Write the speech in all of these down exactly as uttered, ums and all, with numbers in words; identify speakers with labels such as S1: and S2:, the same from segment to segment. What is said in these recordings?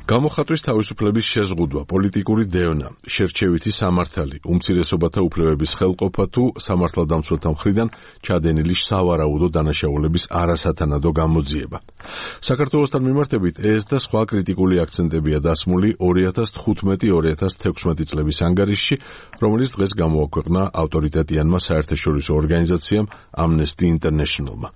S1: გამოხატვის თავისუფლების შეზღუდვა, პოლიტიკური დევნა, შერჩევითი სამართალი, უმცირესობათა უფლებების ხელყოფა თუ სამართალდამცველთა მხრიდან ჩადენილი სავარაუდო დანაშაულების არასათანადო გამოძიება. საქართველოსთან მიმართებით ეს და სხვა კრიტიკული აქცენტებია დასმული ორი ათას თხუთმეტი ორი ათას თექვსმეტი წლების ანგარიშში, რომელიც დღეს გამოაქვეყნა ავტორიტეტიანმა საერთაშორისო ორგანიზაციამ Amnesty International-მა.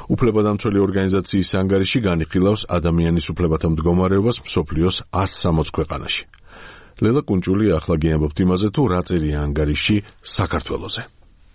S1: უფლებადამცველი ორგანიზაციის ანგარიში განიხილავს ადამიანის უფლებათა მდგომარეობას მსოფლიოს ას სამოცი ქვეყანაში. ლელა კუნჭული ახლა გიამბობთ იმაზე, თუ რა წერია ანგარიში საქართველოზე.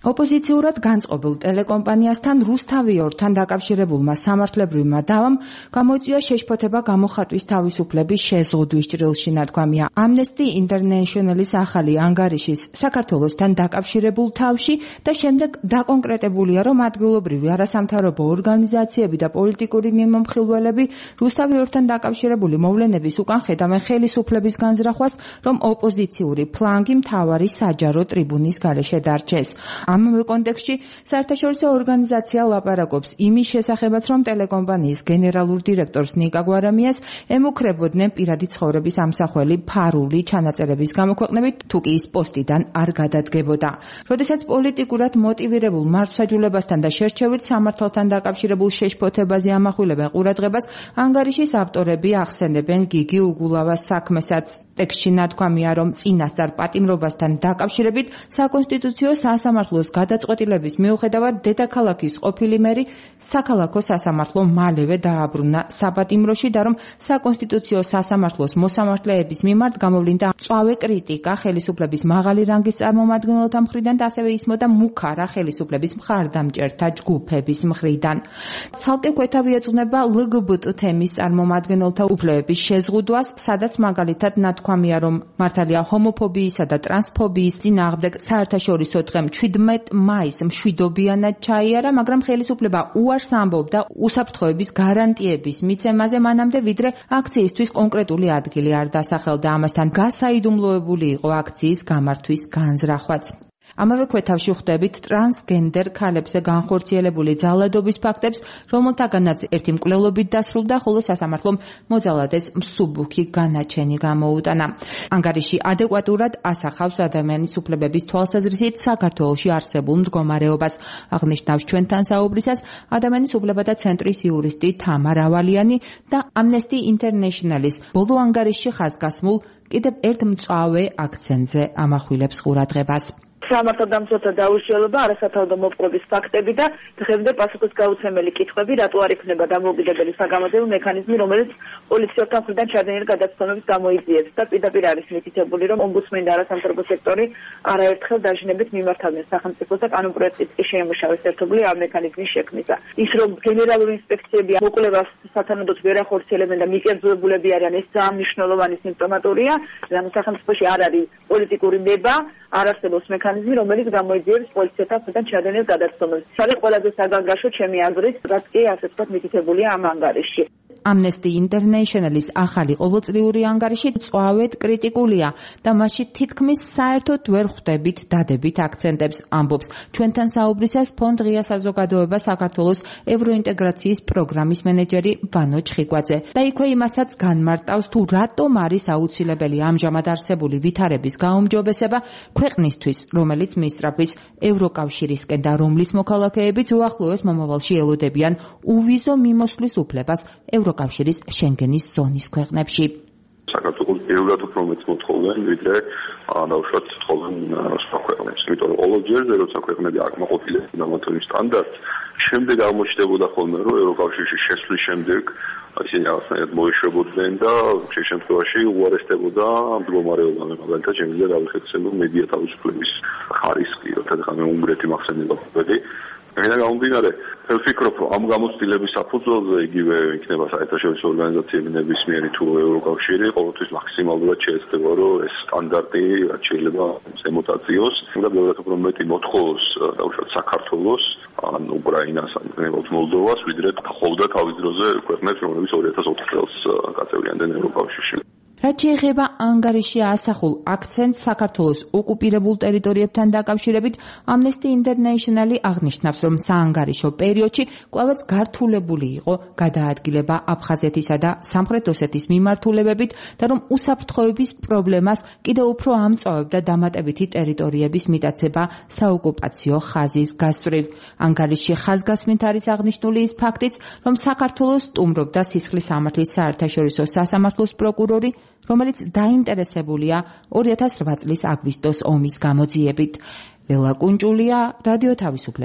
S2: ოპოზიციურად განწყობილ ტელეკომპანიასთან რუსთავიორთან დაკავშირებულმა სამართლებრივმა დავამ გამოიწვია შეშფოთება გამოხატვის თავისუფლების შეზღუდვის ჭრილში, ნათქვამია Amnesty International-ის ახალი ანგარიშის საქართველოსთან დაკავშირებულ თავში და შემდეგ დაკონკრეტებულია, რომ ადგილობრივი არასამთავრობო ორგანიზაციები და პოლიტიკური მიმომხილველები რუსთავიორთან დაკავშირებული მოვლენების უკან ხედავენ ხელისუფლების განზრახვას, რომ ოპოზიციური ფლანგი მთავარი საჯარო ტრიბუნის გარეშე დარჩეს. ამავე კონტექსტში საერთაშორისო ორგანიზაცია ლაპარაკობს იმის შესახებაც, რომ ტელეკომპანიის გენერალურ დირექტორს ნიკა გვარამიას ემუქრებოდნენ პირადი ცხოვრების ამსახველი ფარული ჩანაწერების გამოქვეყნებით, თუ კი ის პოსტიდან არ გადადგებოდა. როდესაც პოლიტიკურად მოტივირებულ მართლმსაჯულებასთან და შერჩევით სამართალთან დაკავშირებულ შეშფოთებაზე ამახვილებენ ყურადღებას, ანგარიშის ავტორები ახსენებენ გიგი უგულავას საქმესაც. ტექსტში ნათქვამია, რომ წინასწარ პატიმრობასთან დაკავშირებით საკონსტიტუციო სასამართლო გადაწყვეტილების მიუხედავად დედაქალაქის ყოფილი მერი საქალაქო სასამართლო მალევე დააბრუნა საპატიმროში და რომ საკონსტიტუციო სასამართლოს მოსამართლეების მიმართ გამოვლინდა მწვავე კრიტიკა ხელისუფლების მაღალი რანგის წარმომადგენელთა მხრიდან და ასევე ისმოდა მუქარა ხელისუფლების მხარდამჭერთა ჯგუფების მხრიდან. ცალკე ქვეთავი ეძღვნება ელ გი ბი ტი თემის წარმომადგენელთა უფლებების შეზღუდვას, სადაც მაგალითად ნათქვამია, რომ მართალია ჰომოფობიისა და ტრანსფობიის წინააღმდეგ საერთაშორისო დღე მშვიდმეტ მაისს მშვიდობიანად ჩაიარა, მაგრამ ხელისუფლება უარს ამბობდა უსაფრთხოების გარანტიების მიცემაზე მანამდე, ვიდრე აქციისთვის კონკრეტული ადგილი არ დასახელდა. ამასთან გასაიდუმლოებული იყო აქციის გამართვის განზრახვაც. ამავე ქვეთავში ხვდებით ტრანსგენდერ ქალებზე განხორციელებული ძალადობის ფაქტებს, რომელთაგანაც ერთი მკვლელობით დასრულდა, ხოლო სასამართლომ მოძალადეს მსუბუქი განაჩენი გამოუტანა. ანგარიში ადეკვატურად ასახავს ადამიანის უფლებების თვალსაზრისით საქართველოში არსებულ მდგომარეობას. აღნიშნავს ჩვენთან საუბრისას ადამიანის უფლებათა ცენტრის იურისტი თამარ ავალიანი და Amnesty International-ის ბოლო ანგარიშში ხაზგასმულ კიდევ ერთ მწვავე აქცენტზე ამახვილებს ყურადღებას.
S3: სამართალდამცველთა დაუშველება, არასათანადო მოპყრობის ფაქტები და დღემდე პასუხისგაუცემელი კითხვები, რატო არ იქნება დამოუკიდებელი საგამოძიებო მექანიზმი, რომელიც პოლიციელთა მხრიდან ჩადენილი გადაცემების გამოიძიებს და პირდაპირ არის მითითებული, რომ ომბუდსმენი და არასამთავრობო სექტორი არაერთხელ დაჟინებით მიმართავდნენ სახელმწიფოს და კანონპროექტით კი შეიმუშავეს ერთობლივ ამ მექანიზმის შექმნისა. ის რომ გენერალური ინსპექციები მოკვლევას სათანადოდ ვერ ახორციელებენ და მიკერძოებულები არიან, ეს ძალიან მნიშვნელოვანი სიმპტომატურია, რადგან სახელმწიფოში არ არის პოლიტიკური ნება, არ არსებობს მექანიზმი, რომელიც გამოიძიებს პოლიციელთა მხრიდან ჩადენილ გადაცემებს. ეს არის ყველაზე საგანგაშო ჩემი აზრით, რაც კი ასე ვთქვათ მითითებულია ამ ანგარიშში.
S2: Amnesty International-ის ახალი ყოველწლიური ანგარიში მწვავედ კრიტიკულია და მასში თითქმის საერთოდ ვერ ხვდებით დადებით აქცენტებს, ამბობს ჩვენთან საუბრისას ფონდ ღია საზოგადოება საქართველოს ევროინტეგრაციის პროგრამის მენეჯერი ვანო ჩხიკვაძე. და იქვე იმასაც განმარტავს, თუ რატომ არის აუცილებელი ამჟამად არსებული ვითარების გაუმჯობესება ქვეყნისთვის, რომელიც მისწრაფვის ევროკავშირისკენ და რომლის მოქალაქეებიც უახლოეს მომავალში ელოდებიან უვიზო მიმოსვლის უფლებას ევროკავშირის შენგენის ზონის ქვეყნებში.
S4: საქართველოს პირველად უფრო მეც მოთხოვენ, ვიდრე დაუშვათ თხოვენ სხვა ქვეყნებს. იმიტომ რომ ყოველჯერ როცა ქვეყნები აკმაყოფილებენ ამათონის სტანდარტს, შემდეგ აღმოჩნდებოდა ხოლმე, რომ ევროკავშირში შესვლის შემდეგ ისინი რაღაცნაირად მოეშვებოდნენ და შე შემთხვევაში უარესდებოდა ამ მდგომარეობა. მაგალითად, შემიძლია დავიხსენო მედია თავისუფლების ხარისხი, როცა მე უნგრეთი მახსენდება ყოფილი. მე გამომდინარე, ვფიქრობ, რომ ამ გამოცდილების საფუძველზე იგივე იქნება საერთაშორისო ორგანიზაციები ნებისმიერი თუ ევროკავშირი, ყოველთვის მაქსიმალურად შეეცდება, რომ ეს სტანდარტი რაც შეიძლება ემუტაციოს და ბევრად უფრო მეტი მოთხოვოს დაუშვათ საქართველოს, ან უკრაინას, ან მოლდოვას, ვიდრე ხოვდა თავის დროზე ქვეყნებს, რომლებიც ორი ათას ოთხ წელს გაწევრიანდნენ ევროკავშირში.
S2: რაც რაც შეეხება ანგარიში ასახულ აქცენტს საქართველოს ოკუპირებულ ტერიტორიებთან დაკავშირებით, Amnesty International აღნიშნავს, რომ საანგარიშო პერიოდში კვლავაც გართულებული იყო გადაადგილება აფხაზეთისა და სამხრეთ ოსეთის მიმართულებებით და რომ უსაფრთხოების პრობლემას კიდევ უფრო ამწვავებდა დამატებითი ტერიტორიების მიტაცება საოკუპაციო ხაზის გასწვრივ. ანგარიშში ხაზგასმით არის აღნიშნული ის ფაქტიც, რომ საქართველოს სტუმრობდა სისხლის სამართლის საერთაშორისო სასამართლოს პროკურორი, რომელიც დაინტერესებულია ორი ათას რვა წლის აგვისტოს ომის გამოძიებით. ლელა კუნჭულია, რადიო თავისუფლება.